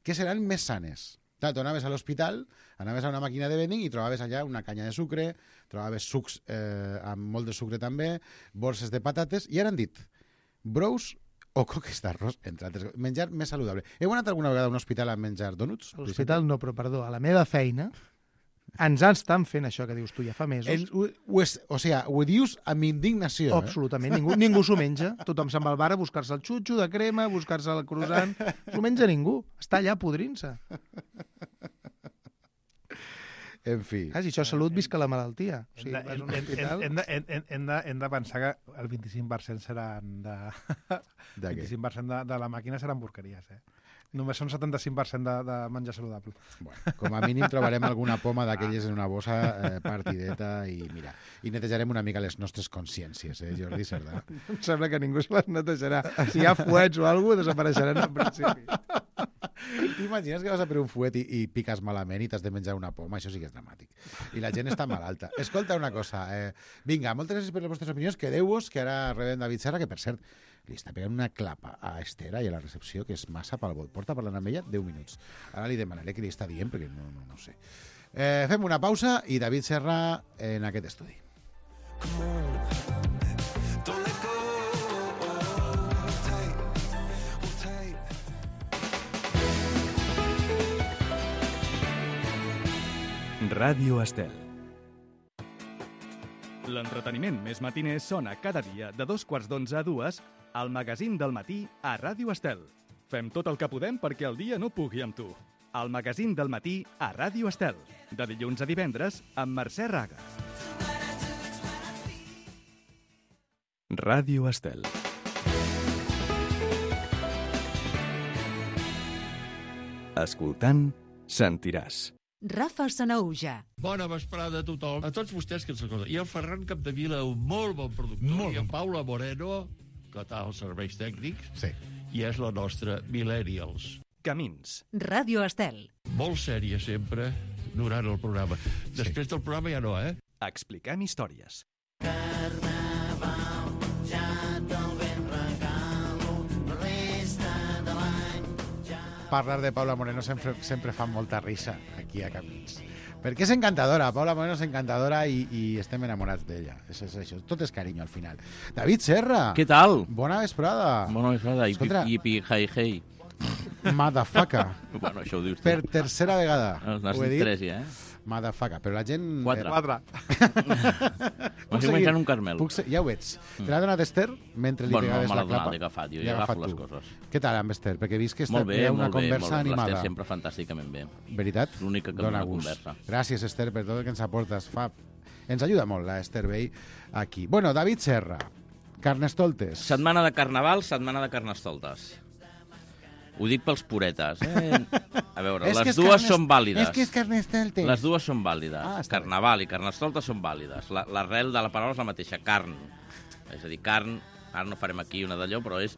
que seran més sanes. Clar, tu anaves a l'hospital, anaves a una màquina de vending i trobaves allà una canya de sucre, trobaves sucs amb molt de sucre també, borses de patates, i ara han dit Brous o coques d'arròs, entre altres. Menjar més saludable. Heu anat alguna vegada a un hospital a menjar donuts? A l'hospital no, però perdó, a la meva feina ens estan fent això que dius tu ja fa mesos. Ho dius amb indignació. Absolutament, ningú s'ho menja. Tothom se'n va al bar a buscar-se el xutxo de crema, a buscar-se el croissant. S'ho menja ningú. Està allà podrint-se. En fi. Si això és salut, visca la malaltia. O sigui, vas a un hospital... Hem de pensar que el 25% seran de... De què? 25% de la màquina seran porqueries, Només són 75% de menjar saludable. Bueno, com a mínim trobarem alguna poma d'aquelles en una bossa partideta i mira, i netejarem una mica les nostres consciències, Jordi Cerdà? Em sembla que ningú se les netejarà. Si hi ha fuets o alguna cosa, desapareixeran en principi. T'imagines que vas a per un fuet i piques malament i t'has de menjar una poma? Això sí que és dramàtic. I la gent està malalta. Escolta una cosa. Vinga, moltes gràcies per les vostres opinions. Quedeu-vos, que ara rebem David Serra, que per cert, li està pegant una clapa a Esther i a la recepció, que és massa pel bot. Porta parlant amb ella 10 minuts. Ara li demanaré què li està dient, perquè no sé. Fem una pausa i David Serra en aquest estudi. Ràdio Estel. L'entreteniment més matiner sona cada dia de 2:15 a 2 al magazín del matí a Ràdio Estel. Fem tot el que podem perquè el dia no pugui amb tu. El magazín del matí a Ràdio Estel. De dilluns a divendres amb Mercè Raga. Ràdio Estel. Escoltant, sentiràs. Rafa Sanauja. Bona vesprada a tothom, a tots vostès que ens escolten. I el Ferran Capdevila, un molt bon productor, i en Paula Moreno, que tal els serveis tècnics, sí. I és la nostra Millennials. Camins. Ràdio Estel. Molt sèria sempre durant el programa. Després del programa ja no, Expliquem històries. Parlar de Paula Moreno sempre fa molta risa aquí a Camins. Perquè és encantadora, Paula Moreno és encantadora i estem enamorats d'ella. És això, tot és carinyo al final. David Serra! Què tal? Bona vesprada! Bona vesprada, Escolta, yipi, hey, hey. Motherfucker. Bueno, això ho dius tu. Per tercera vegada. N'has dit 3 ja, Motherfucker, però la gent... 4. Puc seguir menjant un Carmel. Ja ho veig. Te l'ha donat Esther mentre li pegaves la clapa? L'he agafat, jo ja agafo les coses. Què tal amb Esther? Perquè he vist que molt bé, hi ha una conversa animada. L'Esther sempre fantàsticament bé. Veritat? L'única que dona conversa. Gràcies, Esther, per tot el que ens aportes. Ens ajuda molt la Esther Bey aquí. Bueno, David Serra, Carnestoltes. Setmana de Carnaval, setmana de Carnestoltes. Ho dic pels puretes. A veure, les dues són vàlides. És que és Carnestoltes. Les dues són vàlides. Carnaval i Carnestoltes són vàlides. L'arrel de la paraula és la mateixa, carn. És a dir, carn, ara no farem aquí una d'allò, però és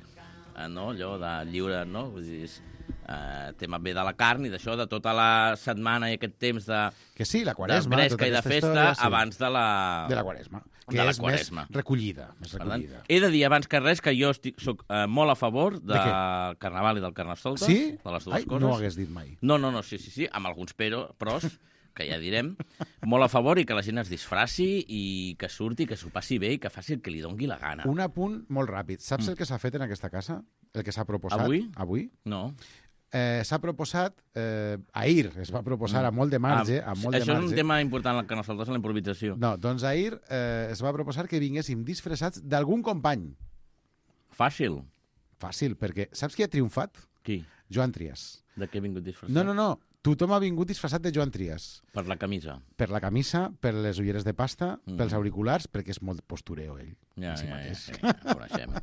allò de lliure, no? Vull dir, és tema bé de la carn i d'això, de tota la setmana i aquest temps de... Que sí, la Quaresma. De bresca i de festa abans de la... De la Quaresma. Que és més recollida. He de dir abans que res que jo soc molt a favor del Carnaval i del Carnestoltes. Sí? De les dues coses. No ho hagués dit mai. No, sí, amb alguns pros, que ja direm, molt a favor i que la gent es disfraci i que surti, que s'ho passi bé i que faci el que li dongui la gana. Un apunt molt ràpid. Saps el que s'ha fet en aquesta casa? El que s'ha proposat? Avui? No. S'ha proposat, ahir es va proposar a molt de marge. Això és un tema important al Carnestoltes, en la improvisació. No, doncs ahir es va proposar que vinguéssim disfressats d'algun company. Fàcil, perquè saps qui ha triomfat? Qui? Joan Trias. De què ha vingut disfressat? No. Tothom ha vingut disfressat de Joan Trias. Per la camisa. Per la camisa, per les ulleres de pasta, pels auriculars, perquè és molt postureo, ell. Ja, coneixem.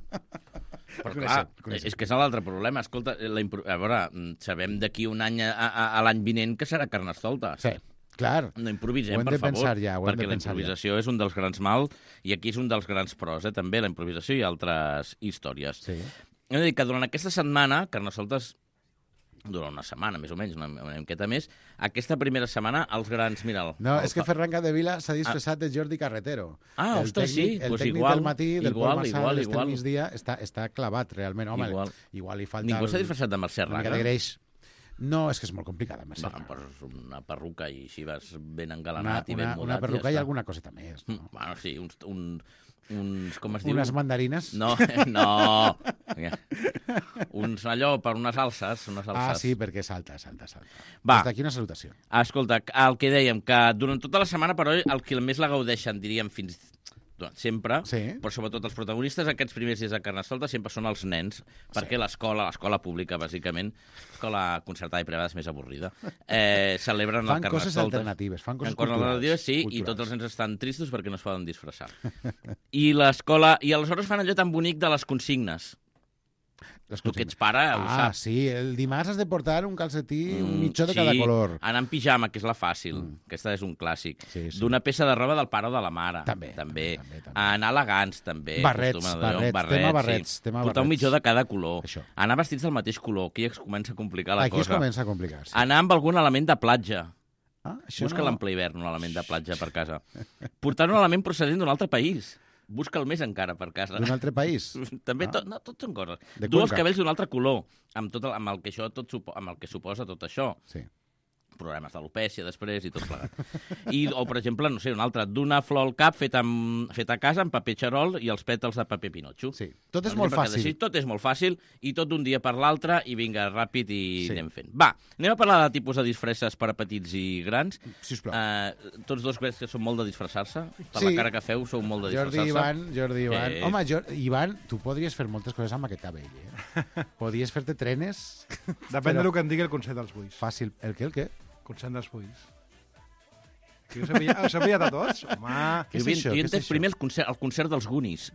Però clar, és que és l'altre problema. Escolta, a veure, sabem d'aquí un any a l'any vinent que serà Carnestoltes. Sí, clar. No improvisem, per favor, perquè la improvisació és un dels grans mals i aquí és un dels grans pros, també, la improvisació i altres històries. Sí. Hem de dir que durant aquesta setmana, Carnestoltes durant una setmana, més o menys, una miqueta més, aquesta primera setmana, els grans... Mira, és que Ferran Capdevila s'ha disfressat de Jordi Carretero. Ostres, sí. El tècnic del matí, del Pol Marsal, del migdia, està clavat, realment. Home, igual li falta... Ningú s'ha disfressat de Mercè Raga? Una mica de greix. No, és que és molt complicat, amb Va, poses una perruca i així vas ben engalanat i ben mudat. Una perruca i i ja alguna coseta més. No? Bueno, sí, uns com es diu? Unes mandarines? No. Allò per unes alces. Ah, sí, perquè salta. Va. Des d'aquí una salutació. Escolta, el que dèiem, que durant tota la setmana, però el que més la gaudeixen, diríem, fins sempre, però sobretot els protagonistes aquests primers dies de Carnestoltes sempre són els nens, perquè l'escola pública, bàsicament, l'escola concertada i privada és més avorrida, celebren el Carnestoltes. Fan coses alternatives, fan coses culturals. Sí, i tots els nens estan tristos perquè no es poden disfressar. I l'escola... I aleshores fan allò tan bonic de les consignes. Tu que ets pare, ho saps. Sí, el dimarts has de portar un calcetí, un mitjó de cada color. Anar en pijama, que és la fàcil. Aquesta és un clàssic. D'una peça de roba del pare o de la mare. També. Anar elegants, també. Barrets. Tema barrets. Portar un mitjó de cada color. Anar vestits del mateix color. Aquí es comença a complicar la cosa. Aquí es comença a complicar, sí. Anar amb algun element de platja. Busca l'ample hivern, un element de platja per casa. Portar un element procedent d'un altre país. Busca'l més encara per casa. D'un altre país? També, tot són coses. Du els cabells d'un altre color, amb el que suposa tot això. Sí. Problemes d'alopècia després i tot plegat. O, per exemple, no sé, un altre, d'una flor al cap feta a casa amb paper xarol i els pètals de paper pinotxo. Sí, tot és molt fàcil. Tot és molt fàcil i tot d'un dia per l'altre i vinga, ràpid i anem fent. Va, anem a parlar de tipus de disfresses per a petits i grans. Sisplau. Tots dos veig que són molt de disfressar-se. Per la cara que feu, sou molt de disfressar-se. Jordi, Ivan. Home, Ivan, tu podries fer moltes coses amb aquest cabell, Podries fer-te trenes... Depèn del que en digui el Consell dels Buis. Fàcil. El què? Consell dels Buis. Que us he pillat a tots? Home... Jo he entès primer el concert dels Goonies. I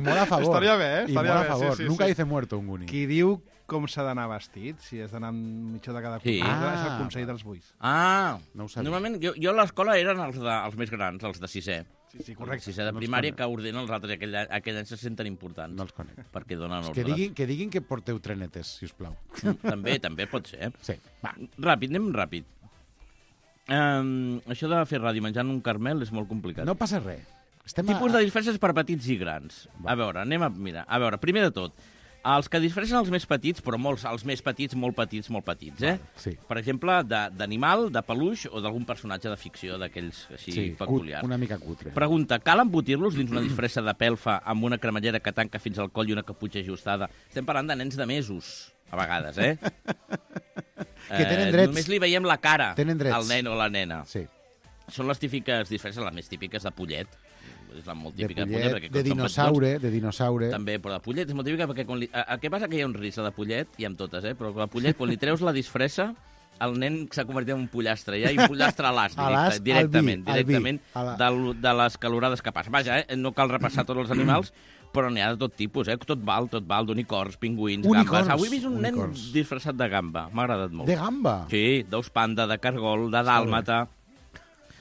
molt a favor. Estaria bé, I molt a favor. Nunca dice muerto un Goonie. Qui diu com s'ha d'anar vestit, si has d'anar amb mitjó de cada color, és el Consell dels Buis. No ho sabia. Normalment, jo a l'escola eren els més grans, els de sisè. Sí, correcte. Sisè de primària, que ordenen els altres, i aquell any se senten importants. No els conec. Perquè donen ordres. Que diguin que porteu trenetes, si us plau. També pot ser. Sí. Va. Anem ràpid. Això de fer ràdio menjant un caramel és molt complicat. No passa res. Tipus de disfresses per petits i grans. A veure, anem a mirar. A veure, primer de tot, els que disfressen els més petits, però els més petits, molt petits, Sí. Per exemple, d'animal, de peluix o d'algun personatge de ficció d'aquells així peculiars. Una mica cutre. Pregunta, cal embotir-los dins una disfressa de pelfa amb una cremallera que tanca fins al coll i una caputxa ajustada? Estem parlant de nens de mesos, a vegades, Que tenen drets. Només li veiem la cara al nen o la nena. Sí. Són les típiques disfresses, les més típiques de pollet. És la molt típica de pollet, de dinosaure. També, però de pollet és molt típica perquè què passa? Que hi ha un risc de pollet, i amb totes, però de pollet, quan li treus la disfressa, el nen s'ha convertit en un pollastre, ja, i un pollastre a l'as, directament de les calorades que passa. Vaja, no cal repassar tots els animals, però n'hi ha de tot tipus, tot val, d'unicorns, pingüins, gambes. Avui he vist un nen disfressat de gamba, m'ha agradat molt. De gamba? Sí, d'ous panda, de cargol, de dàlmata,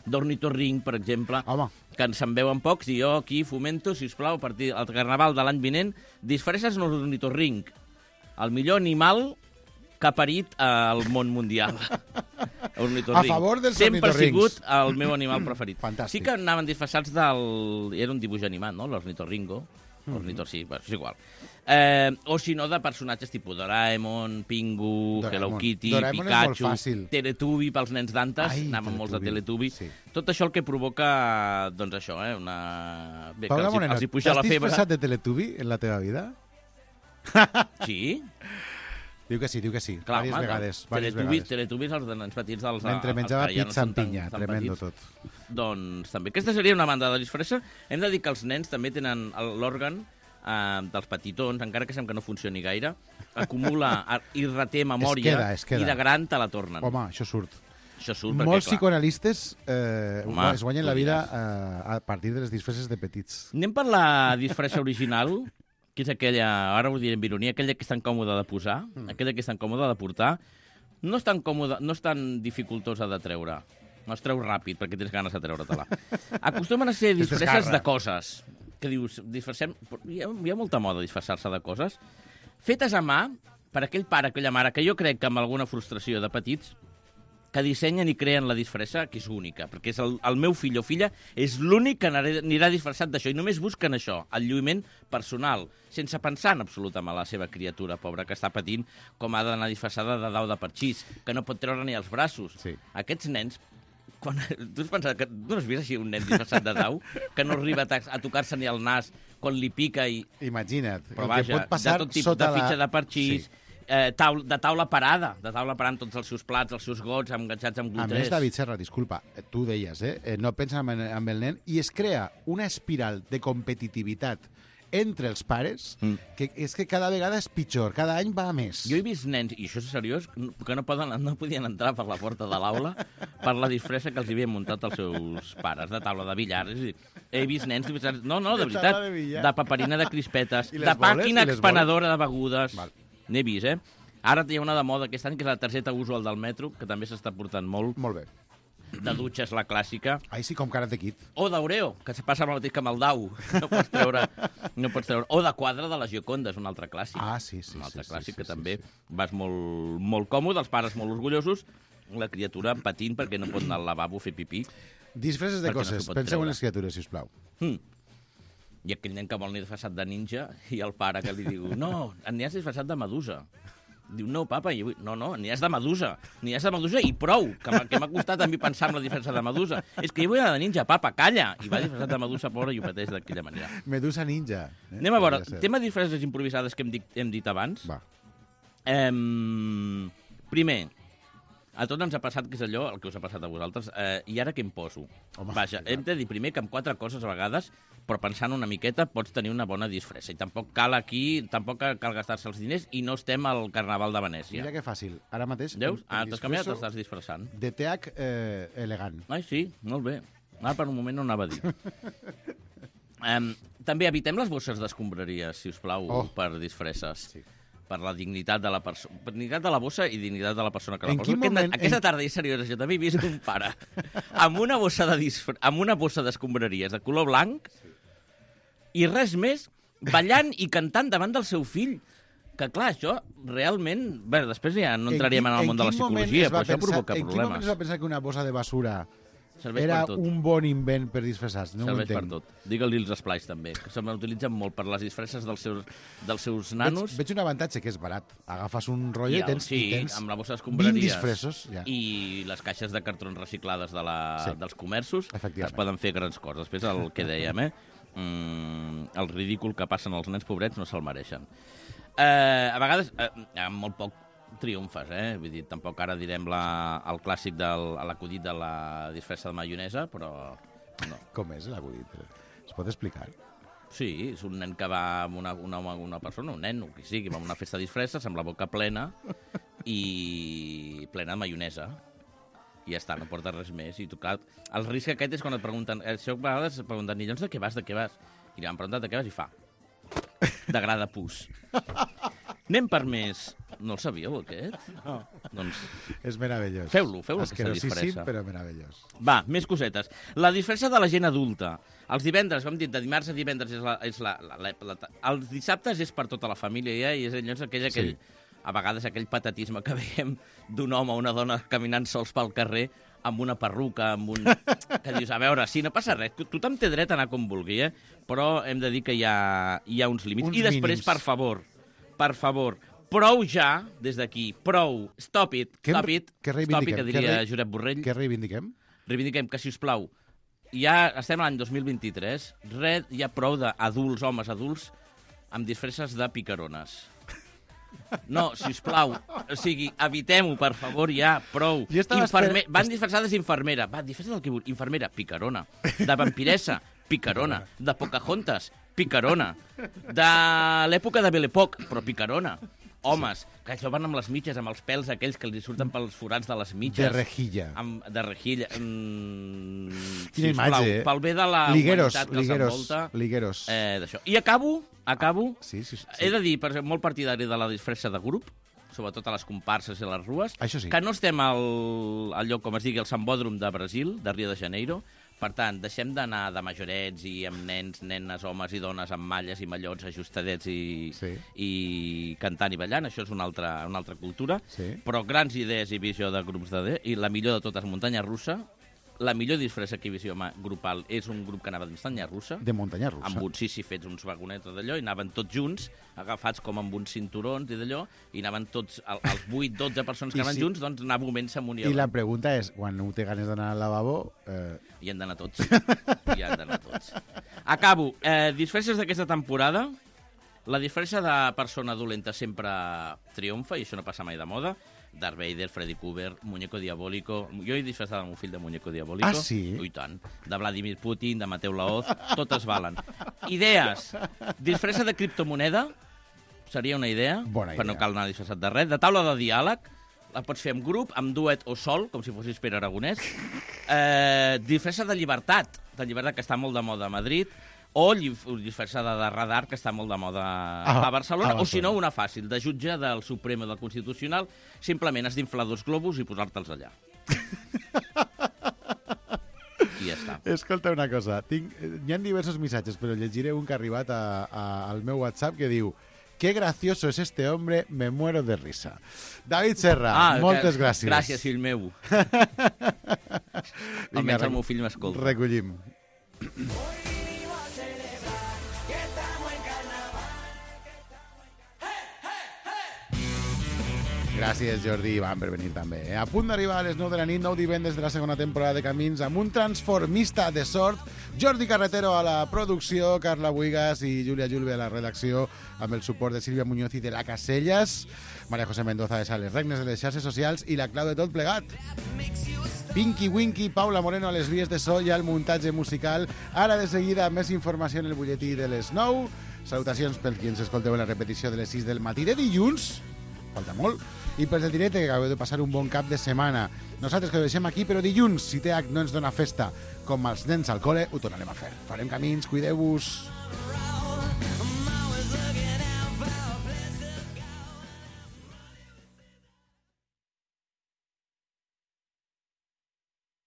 d'ornitorrinc, per exemple. Home. Que se'n veuen pocs, i jo aquí fomento, si us plau, a partir del Carnaval de l'any vinent, disfresses en l'ornitorrinc, el millor animal que ha parit al món mundial. A favor dels ornitorrincs. Sempre ha sigut el meu animal preferit. Fantàstic. Sí que anaven disfressats del... Era un dibuix animat, no?, l'ornitorringo. Sí, és igual. O si no, de personatges tipus Doraemon, Pingu, Hello Kitty, Pikachu, Teletubby pels nens d'antes, anaven molts de Teletubby. Tot això el que provoca, doncs això, una... Paula Moreno, t'has disfressat de Teletubby en la teva vida? Sí. Diu que sí. Clar, vegades. Teletubbies, els de nens petits... Mentre menjava pizza amb pinya, tremendo tot. Doncs també. Aquesta seria una banda de disfressa. Hem de dir que els nens també tenen l'òrgan dels petitons, encara que sembla que no funcioni gaire, acumula i reté memòria, es queda. I de gran te la tornen. Home, això surt. Perquè, molts psicoanalistes es guanyen la vida a partir de les disfresses de petits. Anem per la disfressa original, que és aquella, ara ho diré amb ironia, aquella que és tan còmoda de posar, aquella que és tan còmoda de portar, no és tan còmoda, no és tan dificultosa de treure. No es treu ràpid, perquè tens ganes de treure-te-la. Acostumen a ser disfresses de coses. Que dius, disfressem... Hi ha molta moda disfressar-se de coses. Fetes a mà, per aquell pare, aquella mare, que jo crec que amb alguna frustració de petits, que dissenyen i creen la disfressa, que és única, perquè és el meu fill o filla és l'únic que anirà disfressat d'això, i només busquen això, el lluïment personal, sense pensar en absolut en la seva criatura pobra que està patint com ha d'anar disfressada de dau de parxís, que no pot treure ni els braços. Sí. Aquests nens, quan, tu has pensat que tu no has vist així un nen disfressat de dau, que no arriba a tocar-se ni el nas quan li pica i... Imagina't, Però el que vaja, pot passar de tot tipus sota de fitxa de parxís, Sí. de taula parada amb tots els seus plats, els seus gots, enganxats amb A glutrés. més, David Serra, disculpa, tu deies, no pensa amb el nen, i es crea una espiral de competitivitat entre els pares, que és que cada vegada és pitjor, cada any va a més. Jo he vist nens, i això és seriós, que no podien entrar per la porta de l'aula per la disfressa que els havien muntat els seus pares, de taula de billar. És a dir, he vist nens disfressats, no, de veritat, taula de billar. de paperina de crispetes, I les de boles? màquina I les expenedora de begudes. Val. N'he vist, Ara hi ha una de moda aquest any, que és la targeta usual del metro, que també s'està portant molt. Molt bé. De dutxa és la clàssica. Ahí sí, com Karate Kid. O d'Oreo, que se passa el mateix que amb el Dau. No pots treure. O de quadre de la Gioconda, és un altre clàssic. Ah, sí. Un altre clàssic que també vas molt, molt còmode, els pares molt orgullosos, la criatura patint perquè no pot anar al lavabo a fer pipí. Disfresses de Perquè no coses. s'ho pot Penseu treure. en les criatures, sisplau. I aquell nen que vol anar disfressat de ninja i el pare que li diu no, n'hi has disfressat de medusa. Diu, no, papa, i no, n'hi has de medusa. N'hi has de medusa i prou, que m'ha costat a mi pensar en la disfressa de medusa. És que jo vull anar de ninja, papa, calla! I va disfressat de medusa, pobra, i ho pateix d'aquella manera. Medusa ninja. Anem a veure, Podria ser. tema de disfresses improvisades que hem dit abans. Va. Primer, a tots ens ha passat, que és allò, el que us ha passat a vosaltres, i ara què em poso? Home, Vaja, hem de dir primer que amb 4 coses a vegades, però pensant una miqueta, pots tenir una bona disfressa. I tampoc cal cal gastar-se els diners, i no estem al Carnaval de Venècia. Mira que fàcil. Ara mateix... Veus? em T'has canviat, disfresso t'estàs disfressant. de TH elegant. Ai, sí, molt bé. Ara per un moment no anava a dir. També evitem les bosses d'escombraries, si us plau, per disfresses. Sí. Per la dignitat de la persona. Dignitat de la bossa i dignitat de la persona que la En posa. quin moment- Aquesta tarda, és seriosa, jo també he vist un pare amb una bossa d'escombraries de color blanc i res més, ballant i cantant davant del seu fill. Que, clar, això realment... Bé, després ja no entraríem en el món de la psicologia, però això provoca En quin moment problemes. es va pensar que una bossa de basura Serveix era per tot. un bon invent per disfressar-se? No ho Serveix per entenc. tot. Digue-li els esplais, també, que se m'utilitzen molt per les disfresses dels seus nanos. Veig un avantatge, que és barat. Agafes un rotllo i tens, sí, i tens amb la bossa 20 d'escombraries disfressos. Ja. i les caixes de cartrons reciclades Sí. dels comerços, Efectivament. es poden fer grans coses. Després el que dèiem, el ridícul que passen els nens pobrets no se'l mereixen. A vegades, amb molt poc triomfes, Vull dir, tampoc ara direm el clàssic l'acudit de la disfressa de maionesa, però no. Com és l'acudit? Es pot explicar? Sí, és un nen que va amb una persona, un nen, o qui sigui, va a una festa de disfresses amb la boca plena i plena de maionesa. I ja està, no porta res més. I tu, clar, el risc aquest és quan et pregunten... Això a vegades et pregunten, i llavors de què vas, de què vas? I li van preguntar de què vas i fa. De gra de pus. Anem per més... No el sabíeu, aquest? No. Doncs És meravellós. Feu-lo, aquesta Asquerosíssim, disfressa. però meravellós. Va, més cosetes. La disfressa de la gent adulta. Els divendres, com hem dit, de dimarts a divendres els dissabtes és per tota la família, i és llavors aquell, a vegades aquell patatisme que veiem d'un home o una dona caminant sols pel carrer amb una perruca, que dius, a veure, sí, no passa res, tothom té dret a anar com vulgui, però hem de dir que hi ha uns límits. Uns I després, mínims. per favor, prou ja, des d'aquí, prou, stop it, Què reivindiquem? que diria Josep Borrell. Què reivindiquem? Reivindiquem que, si us plau, ja estem a l'any 2023, hi ha prou d'adults, homes adults, amb disfresses de picarones. No, si us plau, o sigui, evitem-ho, per favor, ja, prou. Van disfressades d'infermera, disfressades del que vull, infermera, picarona. De vampiressa, picarona. De Pocahontas, picarona. De l'època de Belle-Époque, però picarona. Homes, que això van amb les mitges, amb els pèls aquells que els surten pels forats de les mitges. De rejilla. De rejilla. Quina imatge, Pel bé de la humanitat que els envolta. Ligueros. D'això. I acabo. Sí. He de dir, molt partidari de la disfressa de grup, sobretot a les comparses i a les rues, Això sí. que no estem al lloc, com es digui, al Sambòdrom de Brasil, de Rio de Janeiro, Per tant, deixem d'anar de majorets i amb nens, nenes, homes i dones amb malles i mallots ajustadets i cantant i ballant. Això és una altra cultura. Sí. Però grans idees i visió de grups i la millor de totes, muntanya russa. La millor disfressa que hi visió grupal és un grup que anava de muntanya russa. De muntanya russa. Amb uns fets uns vagonets d'allò, i anaven tots junts, agafats com amb uns cinturons i d'allò, i anaven tots, els 8-12 persones que anaven junts, doncs anar movent-se amunt i avall. I la pregunta és, quan no té ganes d'anar al lavabo... Hi han d'anar tots. Hi han d'anar tots. Acabo. Disfresses d'aquesta temporada. La disfressa de persona dolenta sempre triomfa, i això no passa mai de moda. Darth Vader, Freddy Krueger, Muñeco Diabólico... Jo he disfressat el meu fill de Muñeco Diabólico. Ah, sí? I tant. De Vladimir Putin, de Mateu Laoz, totes valen. Idees. Disfressa de criptomoneda, seria una idea, Bona per idea. no cal anar disfressat de res. De taula de diàleg, la pots fer amb grup, amb duet o sol, com si fossis Pere Aragonès. Disfressa de llibertat, que està molt de moda a Madrid. O disfressada de radar, que està molt de moda a Barcelona, o si no, una fàcil, de jutge del Suprem o del Constitucional, simplement has d'inflar 2 globus i posar-te'ls allà. I ja està. Escolta una cosa, hi ha diversos missatges, però llegiré un que ha arribat al meu WhatsApp que diu: qué gracioso es este hombre, me muero de risa. David Serra, moltes gràcies. Gràcies, fill meu. Almenys el meu fill m'escolta. Recollim. Gràcies, Jordi i Ivan, per venir també. A punt d'arribar a les 9 de la nit, 9 divendres de la segona temporada de Camins, amb un transformista de sort, Jordi Carretero a la producció, Carla Buigas i Júlia Julve a la redacció, amb el suport de Sílvia Muñoz i de la Casellas, Maria José Mendoza de les regnes de les xarxes socials i la clau de tot plegat. Pinky Winky, Paula Moreno a les vies de so i al muntatge musical. Ara de seguida més informació en el butlletí de les 9. Salutacions per qui ens escolteu en la repetició de les 6 del matí de dilluns. Falta molt. I per el directe, que acabeu de passar un bon cap de setmana. Nosaltres que ho deixem aquí, però dilluns, si TH no ens dona festa com els nens al col·le, ho tornarem a fer. Farem camins, cuideu-vos.